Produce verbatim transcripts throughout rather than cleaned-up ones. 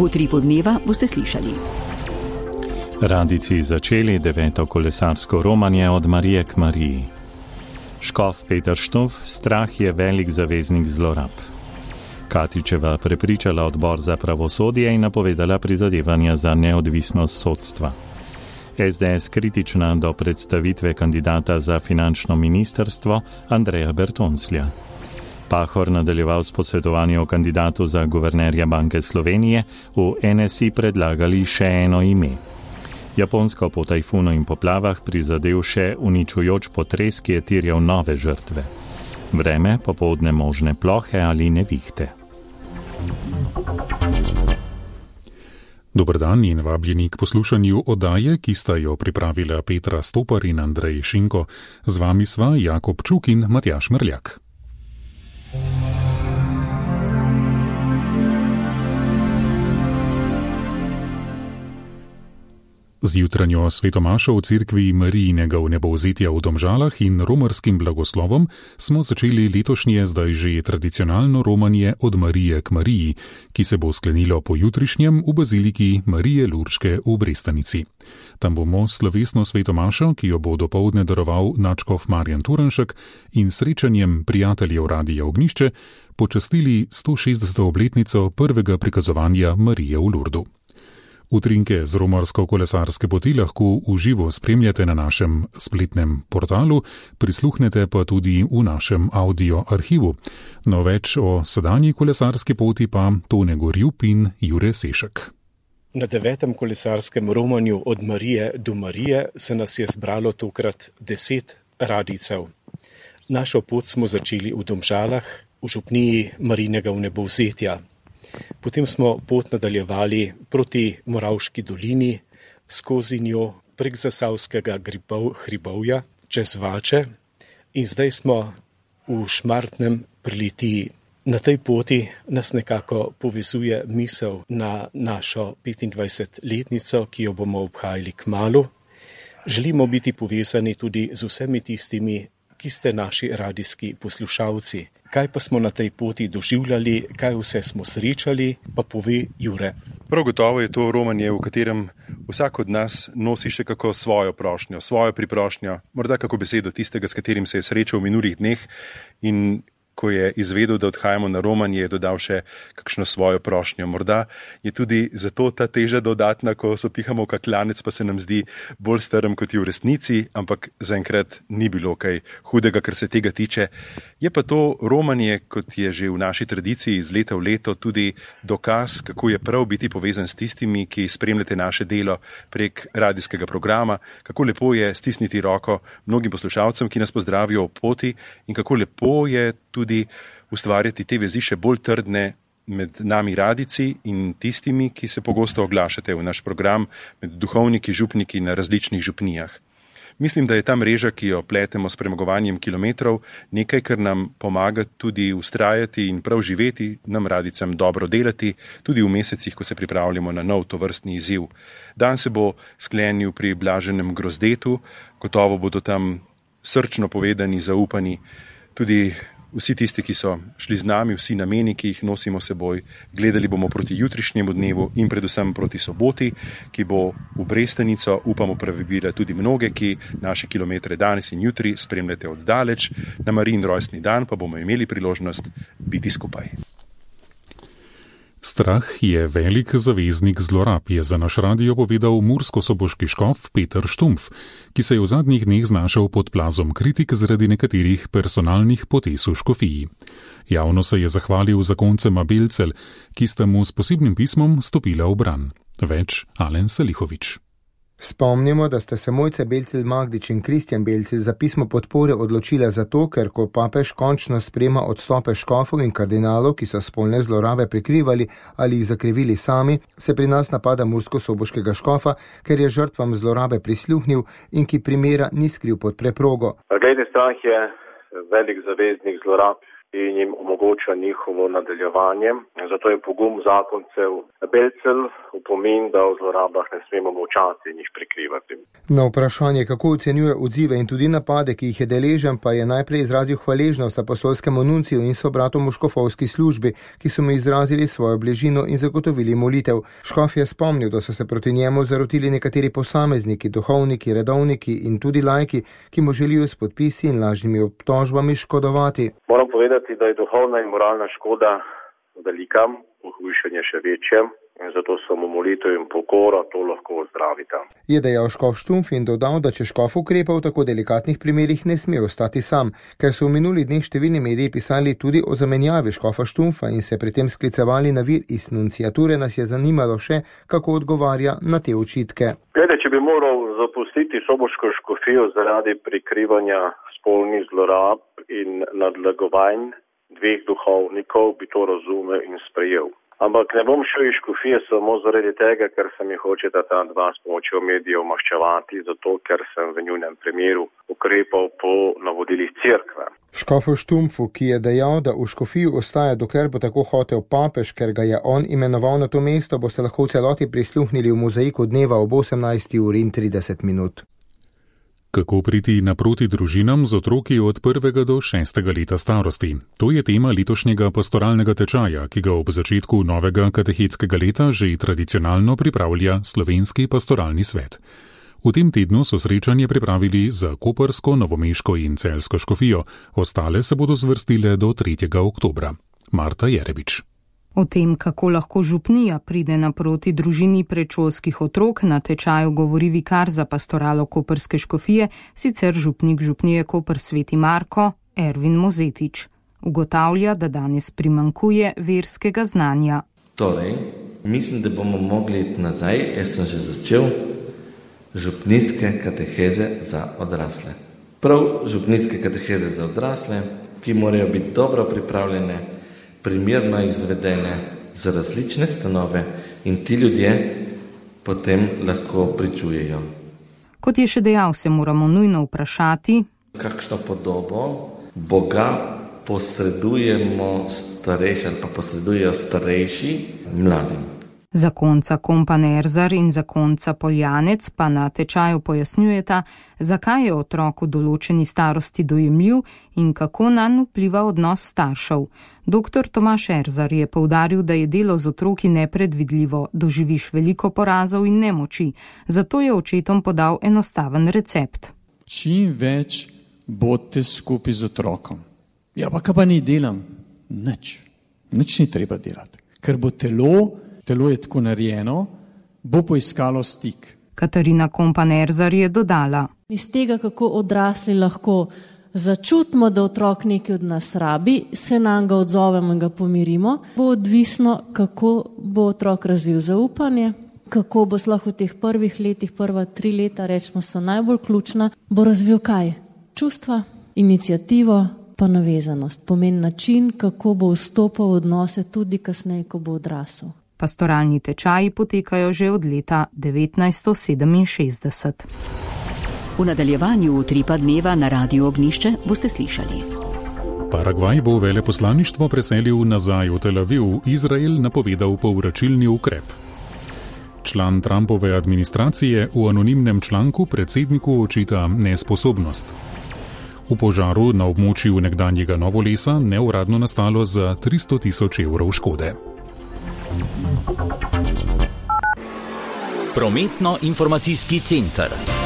V Utripu dneva boste slišali. Radijci začeli deveto kolesarsko romanje od Marije k Mariji. Škof Peter Štumpf, strah je velik zaveznik zlorab. Katičeva prepričala odbor za pravosodje in napovedala prizadevanja za neodvisnost sodstva. es de es kritična do predstavitve kandidata za finančno ministrstvo Andreja Bertonslja. Pahor nadaljeval s posvetovanjem o kandidatu za guvernerja Banke Slovenije, v en es i predlagali še eno ime. Japonsko po tajfunu in poplavah prizadel še uničujoč potres, ki je terjal nove žrtve. Vreme, popoldne možne plohe ali nevihte. Dober dan in vabljeni k poslušanju oddaje, ki sta jo pripravila Petra Stopar in Andrej Šinko. Z vami sva Jakob Čuk in Matjaž Mrljak. Z jutranjo svetomašo v cerkvi Marijinega vnebovzetja v Domžalah in romarskim blagoslovom smo začeli letošnje zdaj že tradicionalno romanje od Marije k Mariji, ki se bo sklenilo pojutrišnjem v baziliki Marije Lurške v Brestanici. Tam bomo slovesno svetomašo, ki jo bo dopoldne daroval nadškof Marjan Turnšek, in srečanjem prijateljev Radia Ognjišče počastili sto šestdeseto obletnico prvega prikazovanja Marije v Lurdu. Utrinke z romarsko-kolesarske poti lahko v živo spremljate na našem spletnem portalu, prisluhnete pa tudi v našem audio arhivu. No več o sedanji kolesarski poti pa Tone Gorjup in Jure Sešek. Na devetem kolesarskem romanju od Marije do Marije se nas je zbralo tokrat deset radijcev. Našo pot smo začeli v Domžalah, v župniji Marijinega vnebovzetja. Potem smo pot nadaljevali proti Moravški dolini, skozi njo prek Zasavskega hribovja, čez Vače in zdaj smo v Šmartnem pri Litiji. Na tej poti nas nekako povezuje misel na našo petindvajsetletnico, ki jo bomo obhajali kmalu. Želimo biti povezani tudi z vsemi tistimi, ki ste naši radijski poslušalci. Kaj pa smo na tej poti doživljali, kaj vse smo srečali, pa pove Jure. Prav gotovo je to romanje, v katerem vsak od nas nosi še kako svojo prošnjo, svojo priprošnjo, morda kako besedo tistega, s katerim se je srečal v minulih dneh, in ko je izvedel, da odhajamo na romanje, je dodal še kakšno svojo prošnjo. Morda je tudi zato ta teža dodatna, ko sopihamo v kaklanec, pa se nam zdi bolj strm kot je v resnici, ampak zaenkrat ni bilo kaj hudega, kar se tega tiče. Je pa to romanje, kot je že v naši tradiciji iz leta v leto, tudi dokaz, kako je prav biti povezan s tistimi, ki spremljate naše delo prek radijskega programa, kako lepo je stisniti roko mnogim poslušalcem, ki nas pozdravijo ob poti, in kako lepo je tudi ustvarjati te vezi še bolj trdne med nami radijci in tistimi, ki se pogosto oglašate v naš program, med duhovniki, župniki na različnih župnijah. Mislim, da je ta mreža, ki jo pletemo s premagovanjem kilometrov, nekaj, kar nam pomaga tudi ustrajati in prav živeti, nam radicam dobro delati, tudi v mesecih, ko se pripravljamo na nov tovrstni izziv. Dan se bo sklenil pri Blaženem Grozdetu, gotovo bodo tam srčno povedani, zaupani, tudi vsi tisti, ki so šli z nami, vsi nameni, ki jih nosimo seboj. Gledali bomo proti jutrišnjemu dnevu in predvsem proti soboti, ki bo v Brestanico, upamo, privabila tudi mnoge, ki naše kilometre danes in jutri spremljate od daleč. Na Marijin rojstni dan pa bomo imeli priložnost biti skupaj. Strah je velik zaveznik zlorab, je za naš radio povedal murskosoboški škof Peter Štumpf, ki se je v zadnjih dneh znašel pod plazom kritik zaradi nekaterih personalnih potez v škofiji. Javno se je zahvalil zakoncema Belcelj, ki sta mu s posebnim pismom stopila v bran. Več Alen Salihovič. Spomnimo, da sta se Mojca Belcelj Magdič in Kristjan Belcelj za pismo podpore odločila zato, ker ko papež končno sprejema odstope škofov in kardinalov, ki so spolne zlorabe prikrivali ali jih zakrivili sami, se pri nas napada murskosoboškega škofa, ker je žrtvam zlorabe prisluhnil in ki primera ni skril pod preprogo. Glede, strah je velik zaveznik zlorab. in jim omogoča njihovo nadaljevanje. Zato je pogum zakoncev Belcelj opomin, da o zlorabah ne smemo molčati in jih prikrivati. Na vprašanje, kako ocenjuje odzive in tudi napade, ki jih je deležen, pa je najprej izrazil hvaležnost apostolskemu nunciju in sobratom v škofovski službi, ki so mu izrazili svojo bližino in zagotovili molitev. Škof je spomnil, da so se proti njemu zarotili nekateri posamezniki, duhovniki, redovniki in tudi laiki, ki mu želijo s podpisi in lažnimi obtožbami škodovati. Moram povedati, da je duhovna in moralna škoda velika, pohujšanje še večje. In zato samo molitev in pokora to lahko ozdravita. Je dejal škof Štumpf in dodal, da če škof ukrepa v tako delikatnih primerih, ne sme ostati sam, ker so v minulih dneh številni mediji pisali tudi o zamenjavi škofa Štumpfa in se pri tem sklicevali na vir iz nunciature, nas je zanimalo še, kako odgovarja na te očitke. Glede, če bi moral zapustiti soboško škofijo zaradi prikrivanja spolnih zlorab in nadlegovanj dveh duhovnikov, bi to razumel in sprejel. Ampak ne bom šel iz škofije samo zaradi tega, ker se mi hočeta ta dva s pomočjo medijev maščevati, zato ker sem v njunem primeru ukrepal po navodilih cerkve. Škofu Štumpfu, ki je dejal, da v škofiji ostaja, dokler bo tako hotel papež, ker ga je on imenoval na to mesto, boste lahko v celoti prisluhnili v mozaiku dneva ob osemnajsti uri in trideset minut. Kako priti naproti družinam z otroki od prvega do šestega leta starosti? To je tema letošnjega pastoralnega tečaja, ki ga ob začetku novega katehetskega leta že tradicionalno pripravlja Slovenski pastoralni svet. V tem tednu so srečanje pripravili za koprsko, novomeško in celjsko škofijo, ostale se bodo zvrstile do tretjega oktobra. Marta Jerebič. O tem, kako lahko župnija pride naproti družini predšolskih otrok, na tečaju govori vikar za pastoralo koprske škofije, sicer župnik župnije Koper Sveti Marko, Ervin Mozetič. Ugotavlja, da danes primanjkuje verskega znanja. Torej, mislim, da bomo mogli iti nazaj, jaz sem že začel, župnijske kateheze za odrasle. Prav župnijske kateheze za odrasle, ki morajo biti dobro pripravljene, primerno izvedene za različne stanove in ti ljudje potem lahko pričujejo. Kot je še dejal, se moramo nujno vprašati, kakšno podobo Boga posredujemo starejši ali pa posredujejo starejši mladim. Zakonca Kompan Erzar in zakonca Poljanec pa na tečaju pojasnjujeta, zakaj je otrok v določeni starosti dojemljiv in kako nanj vpliva odnos staršev. Doktor Tomaž Erzar je poudaril, da je delo z otroki nepredvidljivo, doživiš veliko porazov in nemoči, zato je očetom podal enostaven recept. Čim več bodite skupaj z otrokom. Ja, pa kaj pa ni delam? Nič. Nič ni treba delati, ker bo telo Telo je tako narejeno, bo poiskalo stik. Katarina Kompan Erzar je dodala. Iz tega, kako odrasli lahko začutimo, da otrok nekaj od nas rabi, se nam ga odzovemo in ga pomirimo, bo odvisno, kako bo otrok razvil zaupanje, kako bo sploh v teh prvih letih, prva tri leta, rečemo, so najbolj ključna, bo razvil kaj? Čustva, iniciativo, pa navezanost. Pomeni način, kako bo vstopal v odnose tudi kasneje, ko bo odrasel. Pastoralni tečaji potekajo že od leta devetnajststo sedeminšestdeset. V nadaljevanju utripa dneva na Radiu Ognjišče boste slišali. Paragvaj bo veleposlaništvo preselil nazaj v Tel Aviv, Izrael napovedal povračilni ukrep. Član Trumpove administracije v anonimnem članku predsedniku očita nesposobnost. V požaru na območju nekdanjega Novolesa neuradno nastalo za tristo tisoč evrov škode. Prometno-informacijski center.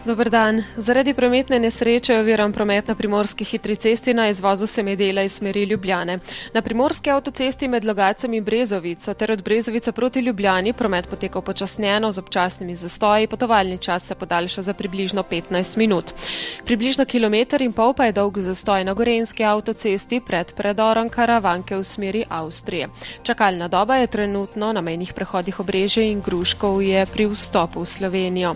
Dober dan. Zaradi prometne nesreče je oviran promet na primorski hitri cesti na izvozu Semedela iz smeri Ljubljane. Na primorski avtocesti med Logacem in Brezovico ter od Brezovice proti Ljubljani promet poteka upočasnjeno z občasnimi zastoji, potovalni čas se podaljša za približno petnajst minut. Približno kilometer in pol pa je dolg zastoj na gorenjski avtocesti pred predorom Karavanke v smeri Avstrije. Čakalna doba je trenutno na mejnih prehodih Obrežje in Gruškovje pri vstopu v Slovenijo.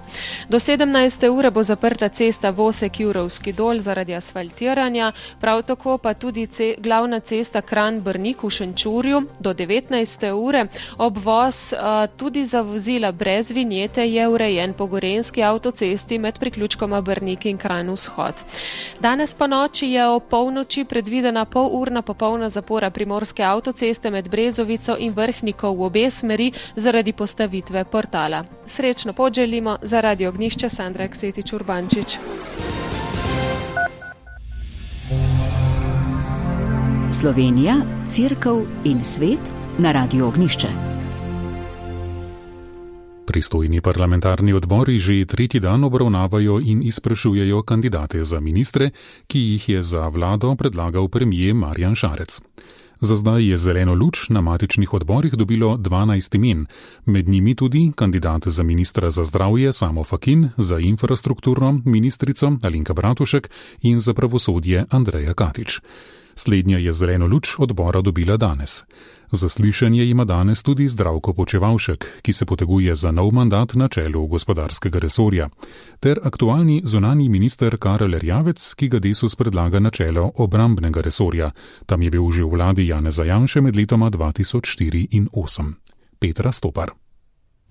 Do sedemnajste ure ure bo zaprta cesta Vosek-Jurovski dol zaradi asfaltiranja, prav tako pa tudi ce, glavna cesta Kranj-Brnik v Šenčurju do devetnajste ure. Obvoz uh, tudi za vozila brez vinjete je urejen po gorenjski avtocesti med priključkoma Brnik in Kranj vzhod. Danes po noči je o polnoči predvidena polurna popolna zapora primorske avtoceste med Brezovico in Vrhnikov v obe smeri zaradi postavitve portala. Srečno pot želimo za Radio Ognjišče, Sandra Aksetič Urbančič. Slovenija, Cerkev in svet na Radio Ognjišče. Pristojni parlamentarni odbori že tretji dan obravnavajo in izprašujejo kandidate za ministre, ki jih je za vlado predlagal premier Marjan Šarec. Za zdaj je zeleno luč na matičnih odborih dobilo dvanajst imen, med njimi tudi kandidat za ministra za zdravje Samo Fakin, za infrastrukturo ministrico Alenka Bratušek in za pravosodje Andreja Katič. Slednja je zeleno luč odbora dobila danes. Zaslišanje ima danes tudi Zdravko Počivalšek, ki se poteguje za nov mandat na čelu gospodarskega resorja, ter aktualni zunanji minister Karel Erjavec, ki ga Desus predlaga na čelo obrambnega resorja. Tam je bil že v vladi Janeza Janše med letoma dva tisoč štiri in osem. Petra Stopar.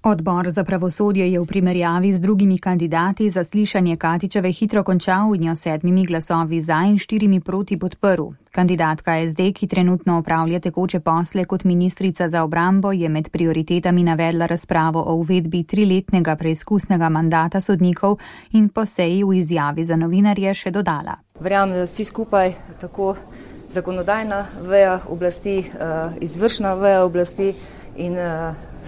Odbor za pravosodje je v primerjavi z drugimi kandidati zaslišanje Katičeve hitro končal in jo sedmimi glasovi za in štirimi proti podprl. Kandidatka es de, ki trenutno opravlja tekoče posle kot ministrica za obrambo, je med prioritetami navedla razpravo o uvedbi triletnega preizkusnega mandata sodnikov in po seji v izjavi za novinarje še dodala. Verjamem, da vsi skupaj, tako zakonodajna veja oblasti, izvršna veja oblasti in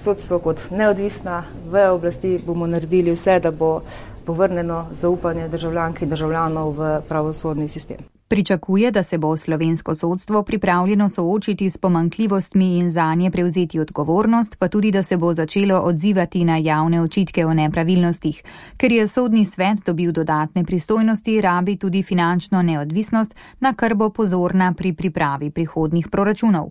sodstvo kot neodvisna veja oblasti, bomo naredili vse, da bo povrnjeno zaupanje državljank in državljanov v pravosodni sistem. Pričakuje, da se bo slovensko sodstvo pripravljeno soočiti s pomanjkljivostmi in zanje prevzeti odgovornost, pa tudi, da se bo začelo odzivati na javne očitke o nepravilnostih. Ker je sodni svet dobil dodatne pristojnosti, rabi tudi finančno neodvisnost, na kar bo pozorna pri pripravi prihodnjih proračunov.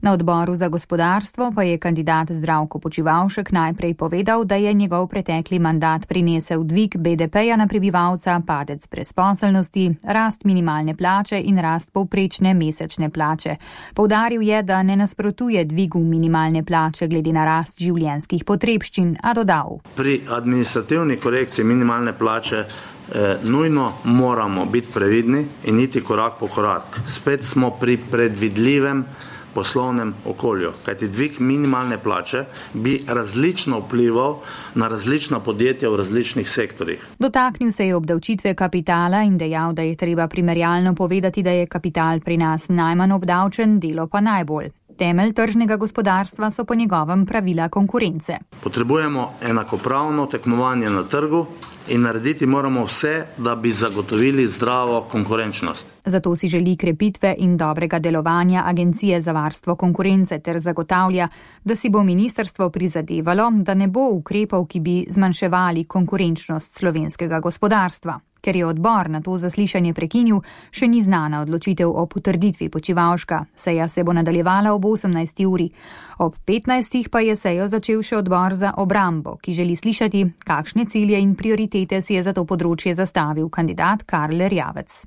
Na odboru za gospodarstvo pa je kandidat Zdravko Počivalšek najprej povedal, da je njegov pretekli mandat prinesel dvig be de peja na prebivalca, padec brezposelnosti, rast minimalne plače in rast povprečne mesečne plače. Poudaril je, da ne nasprotuje dvigu minimalne plače glede na rast življenjskih potrebščin, a dodal. Pri administrativni korekciji minimalne plače eh, nujno moramo biti previdni in iti korak po korak. Spet smo pri predvidljivem poslovnem okolju, kajti dvig minimalne plače bi različno vplival na različna podjetja v različnih sektorjih. Dotaknil se je obdavčitve kapitala in dejal, da je treba primerjalno povedati, da je kapital pri nas najmanj obdavčen, delo pa najbolj. Temelj tržnega gospodarstva so po njegovem pravila konkurence. Potrebujemo enakopravno tekmovanje na trgu in narediti moramo vse, da bi zagotovili zdravo konkurenčnost. Zato si želi krepitve in dobrega delovanja Agencije za varstvo konkurence ter zagotavlja, da si bo ministrstvo prizadevalo, da ne bo ukrepov, ki bi zmanjševali konkurenčnost slovenskega gospodarstva. Ker je odbor na to zaslišanje prekinil, še ni znana odločitev o potrditvi Počivalška. Seja se bo nadaljevala ob osemnajsti uri. Ob petnajstih pa je sejo začel še odbor za obrambo, ki želi slišati, kakšne cilje in prioritete si je za to področje zastavil kandidat Karel Erjavec.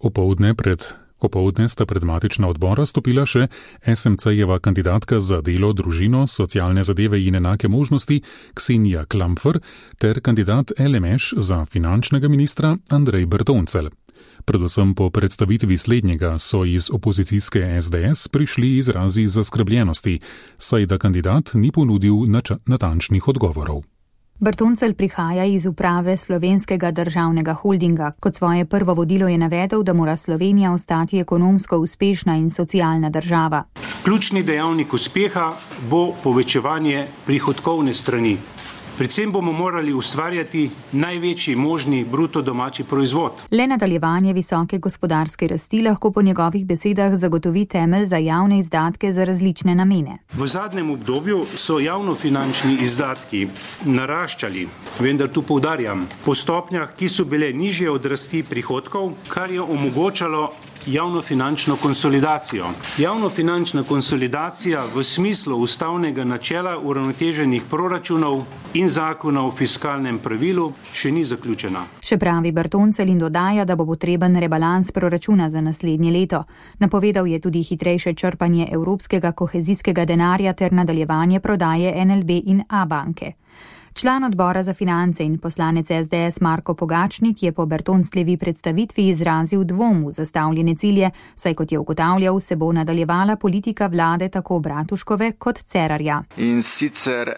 Opoldne pred Popovdne sta pred matična odbora stopila še es em ce-jeva kandidatka za delo, družino, socialne zadeve in enake možnosti Ksenija Klampfer ter kandidat el em eš za finančnega ministra Andrej Bertoncelj. Predvsem po predstavitvi slednjega so iz opozicijske es de es prišli izrazi zaskrbljenosti, saj da kandidat ni ponudil nač- natančnih odgovorov. Bertoncelj prihaja iz uprave Slovenskega državnega holdinga. Kot svoje prvo vodilo je navedel, da mora Slovenija ostati ekonomsko uspešna in socialna država. Ključni dejavnik uspeha bo povečevanje prihodkovne strani. Predvsem bomo morali ustvarjati največji možni bruto domači proizvod. Le nadaljevanje visoke gospodarske rasti lahko po njegovih besedah zagotovi temelj za javne izdatke za različne namene. V zadnjem obdobju so javnofinančni izdatki naraščali, vendar tu poudarjam, po stopnjah, ki so bile nižje od rasti prihodkov, kar je omogočalo javnofinančno konsolidacijo. Javnofinančna konsolidacija v smislu ustavnega načela uravnoteženih proračunov in zakona o fiskalnem pravilu še ni zaključena. Še pravi Bertoncelj in dodaja, da bo potreben rebalans proračuna za naslednje leto. Napovedal je tudi hitrejše črpanje evropskega kohezijskega denarja ter nadaljevanje prodaje N L B in Abanke. Član odbora za finance in poslanec S D S Marko Pogačnik je po Bertoncljevi predstavitvi izrazil dvom v zastavljene cilje, saj kot je ugotavljal, se bo nadaljevala politika vlade tako Bratuškove kot Cerarja. In sicer eh,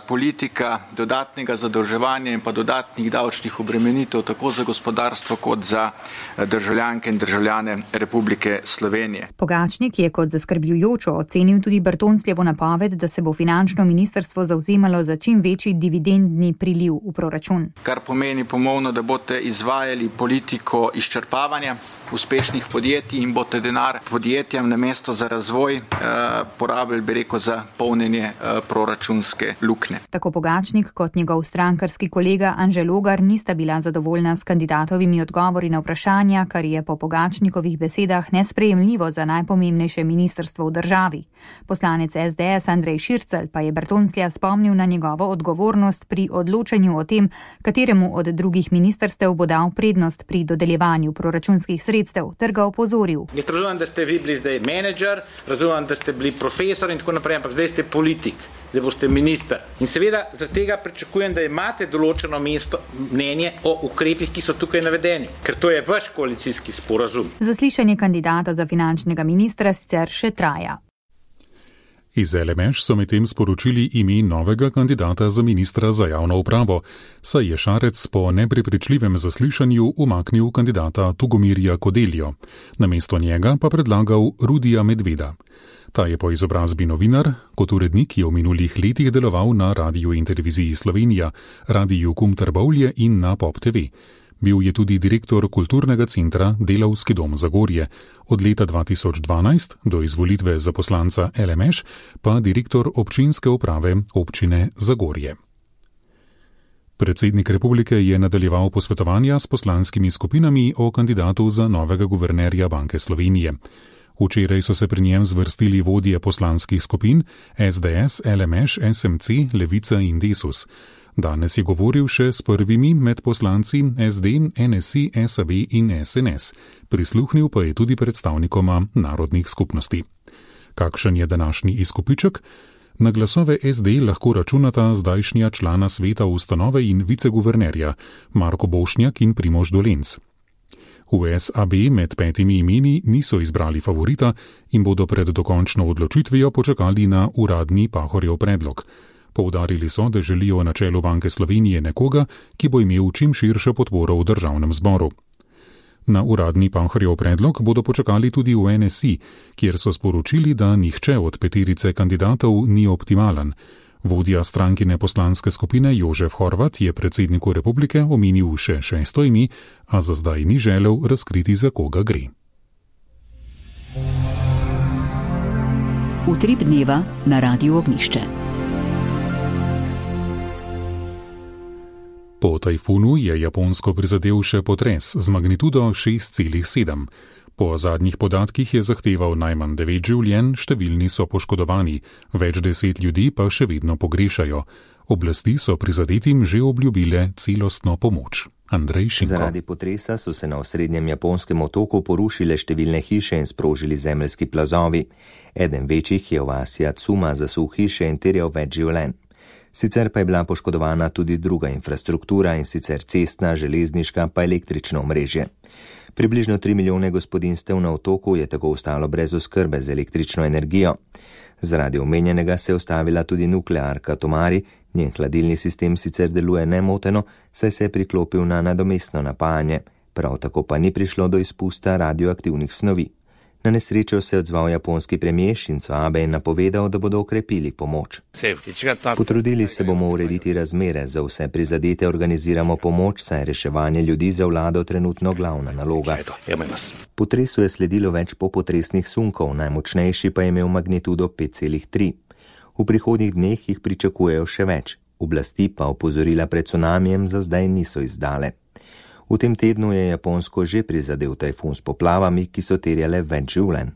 politika dodatnega zadolževanja in pa dodatnih davčnih obremenitev tako za gospodarstvo kot za državljanke in državljane Republike Slovenije. Pogačnik je kot zaskrbljujočo ocenil tudi Bertoncljevo napoved, da se bo finančno ministrstvo zavzemalo za čim večji dividend dividendni priliv v proračun. Kar pomeni pomovno, da boste izvajali politiko izčrpavanja uspešnih podjetij in boste denar podjetjem namesto za razvoj eh, porabili, bi rekel, za polnjenje eh, proračunske luknje. Tako Pogačnik kot njegov strankarski kolega Anže Logar nista bila zadovoljna s kandidatovimi odgovori na vprašanja, kar je po Pogačnikovih besedah nesprejemljivo za najpomembnejše ministrstvo v državi. Poslanec S D S Andrej Šircelj pa je Bertonclja spomnil na njegovo odgovornost pri odločanju o tem, kateremu od drugih ministrstev bo dal prednost pri dodeljevanju proračunskih sredstev, ter ga opozoril. Jaz razumem, da ste vi bili zdaj menedžer, razumem, da ste bili profesor in tako naprej, ampak zdaj ste politik, zdaj boste minister. In seveda zaradi tega pričakujem, da imate določeno mesto, mnenje o ukrepih, ki so tukaj navedeni, ker to je vaš koalicijski sporazum. Zaslišanje kandidata za finančnega ministra sicer še traja. Iz L M Š so medtem sporočili ime novega kandidata za ministra za javno upravo, saj je Šarec po neprepričljivem zaslišanju umaknil kandidata Tugomirja Kodeljo. Namesto njega pa predlagal Rudija Medveda. Ta je po izobrazbi novinar, kot urednik je v minulih letih deloval na Radiu in televiziji Slovenija, Radiju Kum Trbovlje in na Pop T V. Bil je tudi direktor kulturnega centra Delavski dom Zagorje. Od leta dva tisoč dvanajst do izvolitve za poslanca L M Š pa direktor občinske uprave občine Zagorje. Predsednik republike je nadaljeval posvetovanja s poslanskimi skupinami o kandidatu za novega guvernerja Banke Slovenije. Včeraj so se pri njem zvrstili vodje poslanskih skupin S D S, L M Š, S M C, Levica in Desus. Danes je govoril še s prvimi med poslanci S D, N S I, S A B in S N S. Prisluhnil pa je tudi predstavnikoma narodnih skupnosti. Kakšen je današnji izkupiček? Na glasove S D lahko računata zdajšnja člana sveta ustanove in viceguvernerja Marko Bošnjak in Primož Dolenc. V S A B med petimi imeni niso izbrali favorita in bodo pred dokončno odločitvijo počakali na uradni Pahorjev predlog. Poudarili so, da želijo na čelu Banke Slovenije nekoga, ki bo imel čim širšo podporo v državnem zboru. Na uradni Pahorjev predlog bodo počakali tudi v N S I, kjer so sporočili, da nihče od peterice kandidatov ni optimalen. Vodja strankine poslanske skupine Jožef Horvat je predsedniku republike omenil še šesto ime, a za zdaj ni želel razkriti, za koga gre. Utrip dneva na Radiu Ognjišče. Po tajfunu je Japonsko prizadel še potres z magnitudo šest celih sedem. Po zadnjih podatkih je zahteval najmanj devet življenj, številni so poškodovani, več deset ljudi pa še vedno pogrešajo. Oblasti so prizadetim že obljubile celostno pomoč. Andrej Šinko. Zaradi potresa so se na osrednjem japonskem otoku porušile številne hiše in sprožili zemeljski plazovi. Eden večjih je v vasi Atsuma zasul hiše in terjal več življenj. Sicer pa je bila poškodovana tudi druga infrastruktura, in sicer cestna, železniška pa električno omrežje. Približno tri milijone gospodinstev na otoku je tako ostalo brez oskrbe z električno energijo. Zaradi omenjenega se je ustavila tudi nuklearka Tomari, njen hladilni sistem sicer deluje nemoteno, saj se je priklopil na nadomestno napajanje, prav tako pa ni prišlo do izpusta radioaktivnih snovi. Na nesrečo se je odzval japonski premijer Shinzo Abe in napovedal, da bodo okrepili pomoč. Potrudili se bomo urediti razmere, za vse prizadete organiziramo pomoč, saj je reševanje ljudi za vlado trenutno glavna naloga. Potresu je sledilo več popotresnih sunkov, najmočnejši pa je imel magnitudo pet celih tri. V prihodnjih dneh jih pričakujejo še več, oblasti pa opozorila pred cunamijem za zdaj niso izdale. V tem tednu je Japonsko že prizadel tajfun s poplavami, ki so terjale več življenj.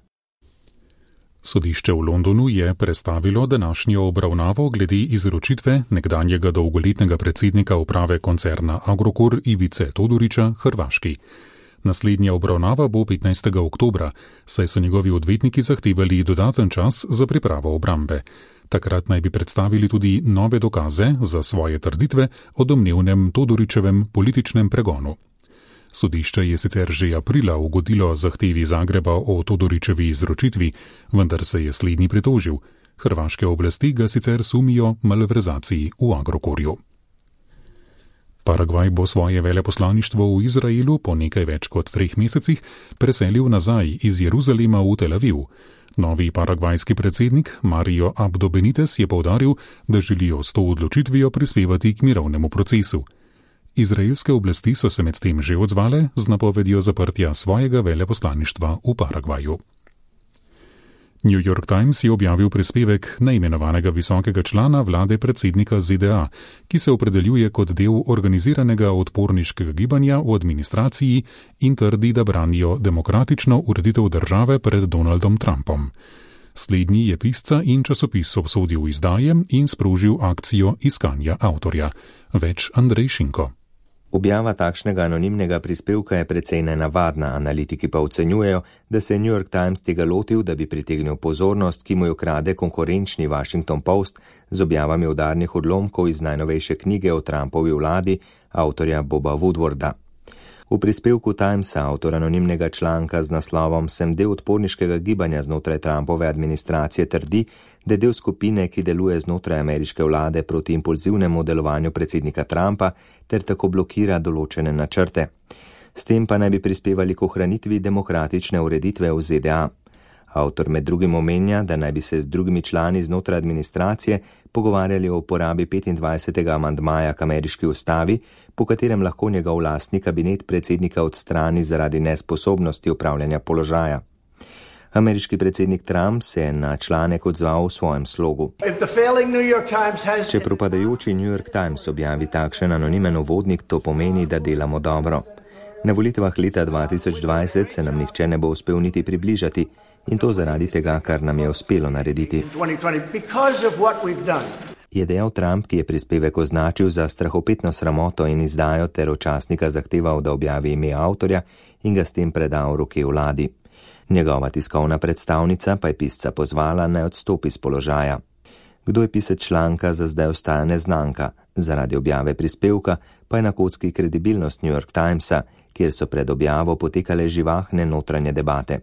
Sodišče v Londonu je prestavilo današnjo obravnavo glede izročitve nekdanjega dolgoletnega predsednika uprave koncerna Agrokor Ivice Todorića Hrvaški. Naslednja obravnava bo petnajstega oktobra, saj so njegovi odvetniki zahtevali dodaten čas za pripravo obrambe. Takrat naj bi predstavili tudi nove dokaze za svoje trditve o domnevnem Todorićevem političnem pregonu. Sodišče je sicer že aprila ugodilo zahtevi Zagreba o Todorićevi izročitvi, vendar se je slednji pritožil. Hrvaške oblasti ga sicer sumijo malverzaciji v Agrokorju. Paragvaj bo svoje veleposlaništvo v Izraelu po nekaj več kot treh mesecih preselil nazaj iz Jeruzalema v Tel Aviv. Novi paragvajski predsednik Mario Abdo Benitez je poudaril, da želijo s to odločitvijo prispevati k mirovnemu procesu. Izraelske oblasti so se medtem že odzvale z napovedjo zaprtja svojega veleposlaništva v Paragvaju. New York Times je objavil prispevek neimenovanega visokega člana vlade predsednika Z D A, ki se opredeljuje kot del organiziranega odporniškega gibanja v administraciji in trdi, da branijo demokratično ureditev države pred Donaldom Trumpom. Slednji je pisca in časopis obsodil izdaje in sprožil akcijo iskanja avtorja. Več Andrej Šinko. Objava takšnega anonimnega prispevka je precej nenavadna, analitiki pa ocenjujejo, da se je New York Times tega lotil, da bi pritegnil pozornost, ki mu jo krade konkurenčni Washington Post z objavami udarnih odlomkov iz najnovejše knjige o Trumpovi vladi avtorja Boba Woodwarda. V prispevku Timesa avtor anonimnega članka z naslovom Sem del odporniškega gibanja znotraj Trumpove administracije trdi, da je del skupine, ki deluje znotraj ameriške vlade proti impulzivnemu delovanju predsednika Trumpa ter tako blokira določene načrte. S tem pa naj bi prispevali k ohranitvi demokratične ureditve v Z D A. Avtor med drugim omenja, da naj bi se z drugimi člani znotraj administracije pogovarjali o uporabi petindvajsetega amandmaja k ameriški ustavi, po katerem lahko njegov lastni kabinet predsednika odstrani zaradi nesposobnosti upravljanja položaja. Ameriški predsednik Trump se je na članek odzval v svojem slogu. Če propadajoči New York Times objavi takšen anonimen uvodnik, to pomeni, da delamo dobro. Na volitvah leta dva tisoč dvajset se nam nihče ne bo uspel niti približati, in to zaradi tega, kar nam je uspelo narediti. Je dejal Trump, ki je prispevek označil za strahopetno sramoto in izdajo ter od časnika zahteval, da objavi ime avtorja in ga s tem preda v roke vladi. Njegova tiskovna predstavnica pa je pisca pozvala, naj odstopi z položaja. Kdo je pisec članka, za zdaj ostaja neznanka, zaradi objave prispevka pa je na kocki kredibilnost New York Timesa, kjer so pred objavo potekale živahne notranje debate.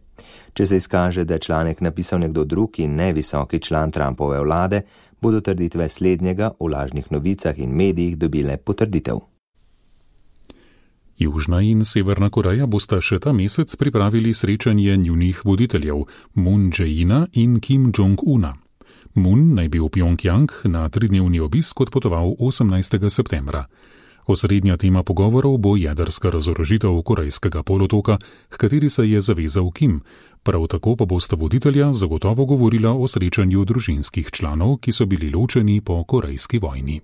Če se izkaže, da je članek napisal nekdo drug in ne visoki član Trumpove vlade, bodo trditve slednjega v lažnih novicah in medijih dobile potrditev. Južna in Severna Koreja bosta še ta mesec pripravili srečanje njunih voditeljev Moon Jae-ina in Kim Jong-una. Moon naj bi v Pjongjang na tridnevni obisk odpotoval osemnajstega septembra. Osrednja tema pogovorov bo jedrska razorožitev Korejskega polotoka, h kateri se je zavezal Kim. Prav tako pa bosta voditelja zagotovo govorila o srečanju družinskih članov, ki so bili ločeni po Korejski vojni.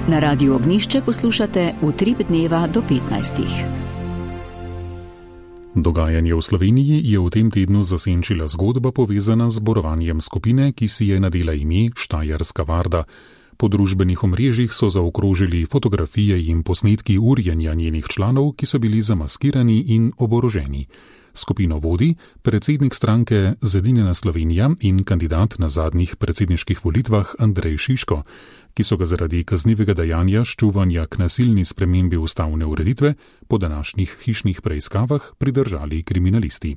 Na Radiu Ognišče poslušate Utrip dneva do petnajstih. Dogajanje v Sloveniji je v tem tednu zasenčila zgodba povezana z zborovanjem skupine, ki si je nadela ime Štajerska varda. Po družbenih omrežjih so zaokrožili fotografije in posnetki urjenja njenih članov, ki so bili zamaskirani in oboroženi. Skupino vodi predsednik stranke Zedinjena Slovenija in kandidat na zadnjih predsedniških volitvah Andrej Šiško, ki so ga zaradi kaznivega dejanja ščuvanja k nasilni spremembi ustavne ureditve po današnjih hišnih preiskavah pridržali kriminalisti.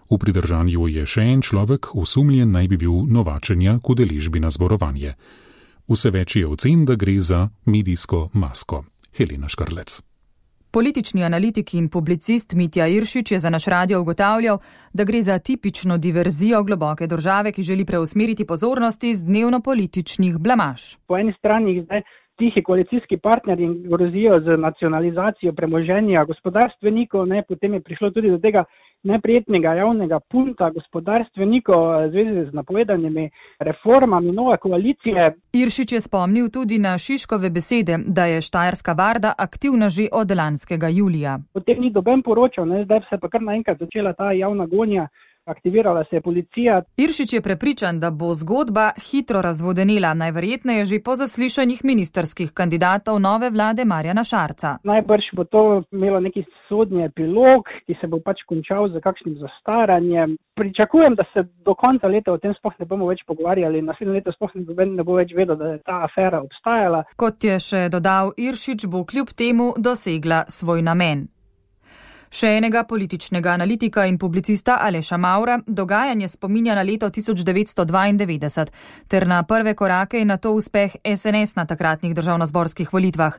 V pridržanju je še en človek, osumljen naj bi bil novačenja k udeležbi na zborovanje. Vse več je ocen, da gre za medijsko masko. Helena Škrlec. Politični analitik in publicist Mitja Iršič je za naš radio ugotavljal, da gre za tipično diverzijo globoke države, ki želi preusmeriti pozornosti z dnevno-političnih blamaž. Po eni strani zdaj tihi koalicijski partnerji grozijo z nacionalizacijo premoženja gospodarstvenikov, ne, potem je prišlo tudi do tega neprijetnega javnega punta gospodarstvenikov v zvezi z napovedanimi reformami nove koalicije. Iršič je spomnil tudi na Šiškove besede, da je Štajerska varda aktivna že od lanskega julija. O tem ni doben poročal, ne? Zdaj se pa kar naenkrat začela ta javna gonja. Aktivirala se je policija. Iršič je prepričan, da bo zgodba hitro razvodenela, najverjetneje že po zaslišanjih ministrskih kandidatov nove vlade Marjana Šarca. Najbrž bo to imelo neki sodni epilog, ki se bo pač končal z kakšnim zastaranjem. Pričakujem, da se do konca leta o tem sploh ne bomo več pogovarjali, naslednje leto sploh ne bo več vedel, da je ta afera obstajala. Kot je še dodal Iršič, bo kljub temu dosegla svoj namen. Še enega političnega analitika in publicista Aleša Mavra dogajanje spominja na leto tisoč devetsto dvaindevetdeset ter na prve korake in na to uspeh es en es na takratnih državnozborskih volitvah.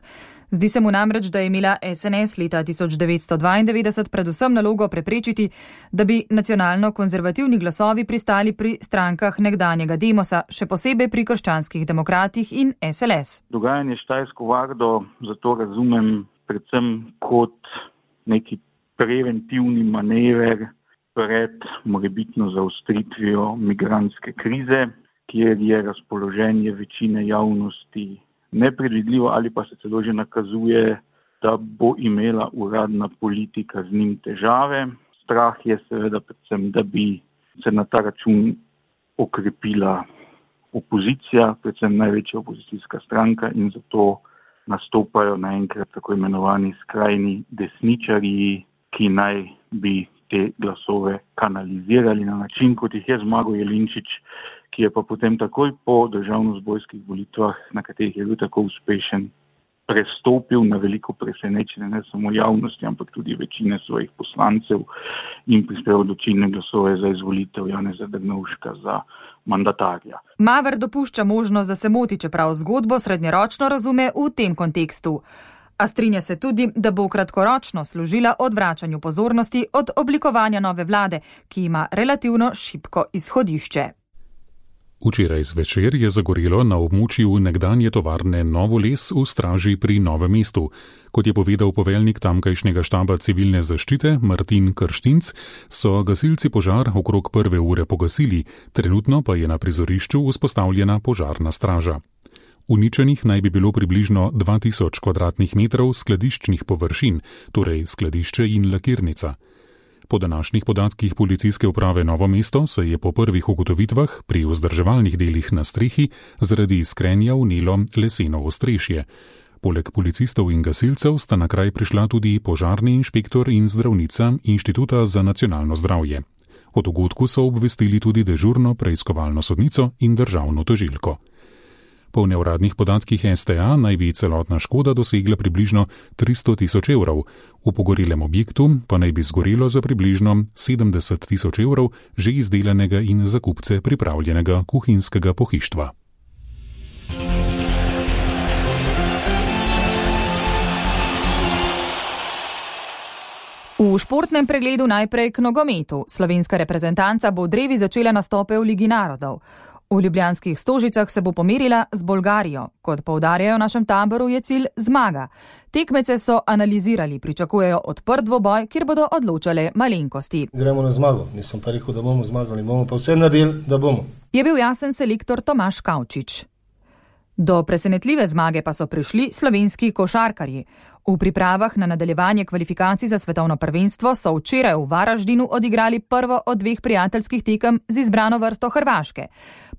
Zdi se mu namreč, da je imela es en es leta tisoč devetsto dvaindevetdeset predvsem nalogo preprečiti, da bi nacionalno-konzervativni glasovi pristali pri strankah nekdanjega Demosa, še posebej pri krščanskih demokratih in es el es. Dogajanje Štajersko vardo zato razumem predvsem kot neki preventivni manever pred morebitno zaostritvijo migrantske krize, kjer je razpoloženje večine javnosti nepredvidljivo ali pa se celo že nakazuje, da bo imela uradna politika z njim težave. Strah je seveda predvsem, da bi se na ta račun okrepila opozicija, predvsem največja opozicijska stranka, in zato nastopajo naenkrat tako imenovani skrajni desničarji, ki naj bi te glasove kanalizirali na način, kot jih je Zmago Jelinčič, ki je pa potem takoj po državnozborskih volitvah, na katerih je bil tako uspešen, prestopil na veliko presenečenje ne samo javnosti, ampak tudi večine svojih poslancev in prispeval odločilne glasove za izvolitev Janeza Drnovška za mandatarja. Maver dopušča možnost, da se moti, čeprav zgodbo srednjeročno razume v tem kontekstu. A strinja se tudi, da bo kratkoročno služila odvračanju pozornosti od oblikovanja nove vlade, ki ima relativno šibko izhodišče. Včeraj zvečer je zagorelo na območju nekdanje tovarne Novo Les v Straži pri Novem mestu. Kot je povedal poveljnik tamkajšnjega štaba civilne zaščite Martin Krštinc, so gasilci požar okrog prve ure pogasili, trenutno pa je na prizorišču vzpostavljena požarna straža. Uničenih naj bi bilo približno dva tisoč kvadratnih metrov skladiščnih površin, torej skladišče in lakirnica. Po današnjih podatkih policijske uprave Novo mesto se je po prvih ugotovitvah pri vzdrževalnih delih na strehi zaradi iskrenja vnelo leseno ostrešje. Poleg policistov in gasilcev sta na kraj prišla tudi požarni inšpektor in zdravnica Inštituta za nacionalno zdravje. O dogodku so obvestili tudi dežurno preiskovalno sodnico in državno tožilko. Po neuradnih podatkih es te a naj bi celotna škoda dosegla približno tristo tisoč evrov, v pogorelem objektu pa naj bi zgorelo za približno sedemdeset tisoč evrov že izdelanega in za kupce pripravljenega kuhinjskega pohištva. V športnem pregledu najprej k nogometu. Slovenska reprezentanca bo v drevi začela nastope v Ligi narodov. V ljubljanskih Stožicah se bo pomerila z Bolgarijo. Kot poudarjajo v našem taboru, je cilj zmaga. Tekmece so analizirali, pričakujejo odprt dvoboj, kjer bodo odločale malenkosti. Gremo na zmago. Nisem pa rekel, da bomo zmagali, bomo pa vse naredili, da bomo. Je bil jasen selektor Tomaž Kavčič. Do presenetljive zmage pa so prišli slovenski košarkarji. V pripravah na nadaljevanje kvalifikacij za svetovno prvenstvo so včeraj v Varaždinu odigrali prvo od dveh prijateljskih tekem z izbrano vrsto Hrvaške.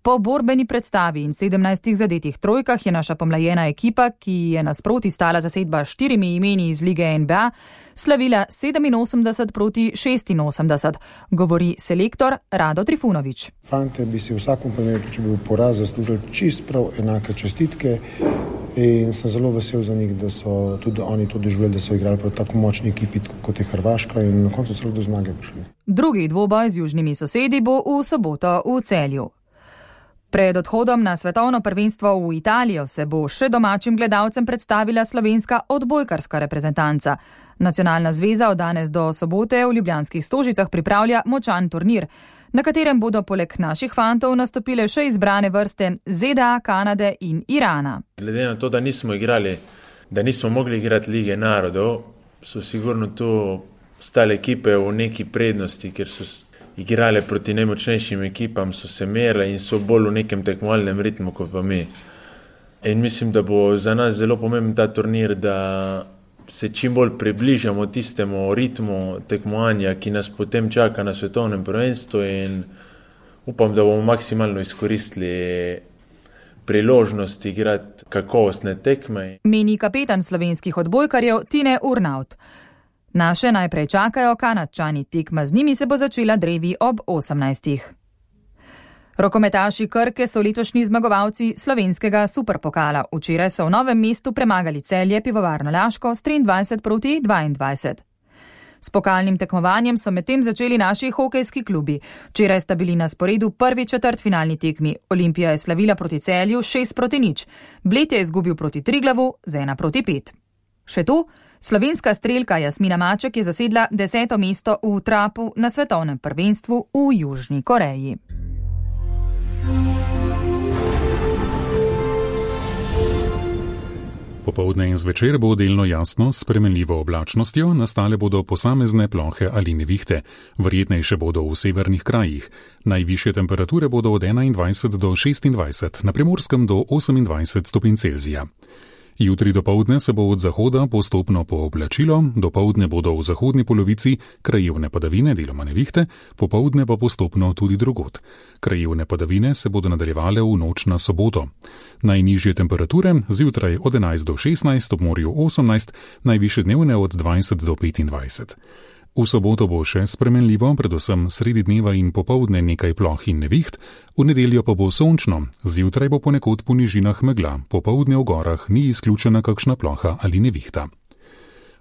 Po borbeni predstavi in sedemnajstih zadetih trojkah je naša pomlajena ekipa, ki je nasproti stala zasedba štirimi imeni iz lige en be a, slavila sedeminosemdeset proti šestinosemdeset, govori selektor Rado Trifunović. Fante bi si v vsakem primeru, če bi bil poraz, zaslužili čist prav enake čestitke in sem zelo vesel za njih, da so tudi oni to doživeli, da so igrali proti tako močni ekipi, kot je Hrvaška, in na koncu so do zmage prišli. Drugi dvoboj z južnimi sosedi bo v soboto v Celju. Pred odhodom na svetovno prvenstvo v Italijo se bo še domačim gledalcem predstavila slovenska odbojkarska reprezentanca. Nacionalna zveza od danes do sobote v ljubljanskih Stožicah pripravlja močan turnir, na katerem bodo poleg naših fantov nastopile še izbrane vrste ZDA, Kanade in Irana. Glede na to, da nismo igrali, da nismo mogli igrati Lige narodov, so sigurno to ostale ekipe v neki prednosti, ker so igrale proti najmočnejšim ekipam, so se merile in so bolj v nekem tekmovalnem ritmu kot pa mi. In mislim, da bo za nas zelo pomemben ta turnir, da se čim bolj približamo tistemu ritmu tekmovanja, ki nas potem čaka na svetovnem prvenstvu, in upam, da bomo maksimalno izkoristili priložnosti igrati kakovostne tekme. Meni kapetan slovenskih odbojkarjev Tine Urnaut. Naše najprej čakajo Kanadčani, tekma z njimi se bo začela drevi ob osemnajstih. Rokometaši Krke so letošnji zmagovalci slovenskega superpokala. Včeraj so v Novem mestu premagali Celje Pivovarno Laško s triindvajset proti dvaindvajset. S pokalnim tekmovanjem so medtem začeli naši hokejski klubi. Včeraj sta bili na sporedu prvi četrtfinalni tekmi. Olimpija je slavila proti Celju šest proti nič. Bled je izgubil proti Triglavu z ena proti pet. Še to, slovenska strelka Jasmina Maček je zasedla deseto mesto v trapu na svetovnem prvenstvu v Južni Koreji. Popoldne in zvečer bo delno jasno s spremenljivo oblačnostjo, nastale bodo posamezne plohe ali nevihte. Verjetnejše bodo v severnih krajih. Najvišje temperature bodo od enaindvajset do šestindvajset, na Primorskem do osemindvajset stopinj Celzija. Jutri dopoldne se bo od zahoda postopno pooblačilo, dopoldne bodo v zahodni polovici krajevne padavine, deloma nevihte, popoldne pa postopno tudi drugod. Krajevne padavine se bodo nadaljevale v noč na soboto. Najnižje temperature zjutraj od enajst do šestnajst, ob morju osemnajst, najvišje dnevne od dvajset do petindvajset. V soboto bo še spremenljivo, predvsem sredi dneva in popoldne nekaj ploh in neviht, v nedeljo pa bo sončno, zjutraj bo ponekod po nižinah megla, popoldne v gorah ni izključena kakšna ploha ali nevihta.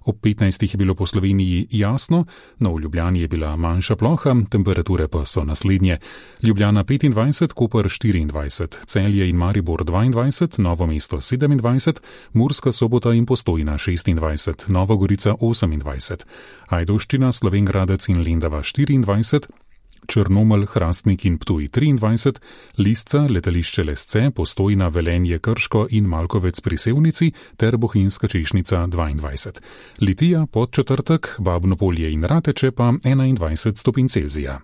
Ob petnajstih je bilo po Sloveniji jasno, no v Ljubljani je bila manjša ploha, temperature pa so naslednje. Ljubljana petindvajset, Koper štiriindvajset, Celje in Maribor dvaindvajset, Novo mesto sedemindvajset, Murska Sobota in Postojna šestindvajset, Nova Gorica osemindvajset, Ajdovščina, Slovenj Gradec in Lendava štiriindvajset, Črnomelj, Hrastnik in Ptuj triindvajset, Lisca, Letališče Lesce, Postojna, Velenje, Krško in Malkovec pri Sevnici ter Bohinjska Češnica dvaindvajset. Litija, Podčetrtek, Babno Polje in Rateče pa enaindvajset stopinj Celzija.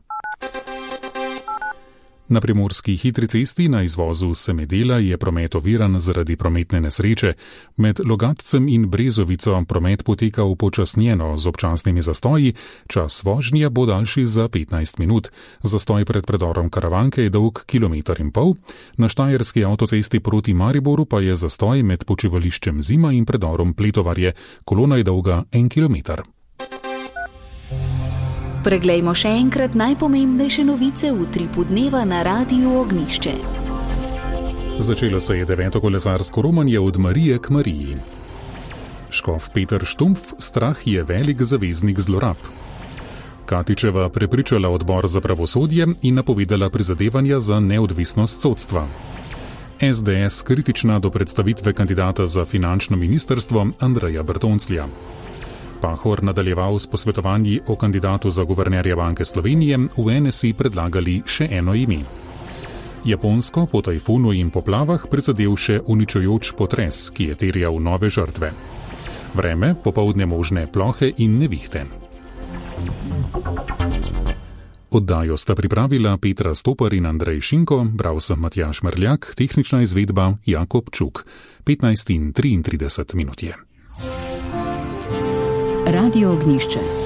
Na primorski hitri cesti na izvozu Semedela je promet oviran zaradi prometne nesreče. Med Logatcem in Brezovico promet poteka upočasnjeno z občasnimi zastoji, čas vožnje bo daljši za petnajst minut. Zastoj pred predorom Karavanke je dolg kilometer in pol, na Štajerski avtocesti proti Mariboru pa je zastoj med počivališčem Zima in predorom Pletovarje, kolona je dolga en kilometer. Preglejmo še enkrat najpomembnejše novice v utripu dneva na Radiu Ognišče. Začelo se je deveto kolesarsko romanje od Marije k Mariji. Škof Peter Štumpf, strah je velik zaveznik zlorab. Katičeva prepričala odbor za pravosodje in napovedala prizadevanja za neodvisnost sodstva. es de es kritična do predstavitve kandidata za finančno ministrstvo Andreja Bertonclja. Pahor nadaljeval s posvetovanji o kandidatu za guvernerja Banke Slovenije, v en es i predlagali še eno ime. Japonsko po tajfunu in poplavah prizadel še uničujoč potres, ki je terjal nove žrtve. Vreme, popoldne možne plohe in nevihte. Oddajo sta pripravila Petra Stopar in Andrej Šinko, bral sem Matjaž Mrljak, tehnična izvedba Jakob Čuk. petnajst in triintrideset minut je. Radio Ognišče.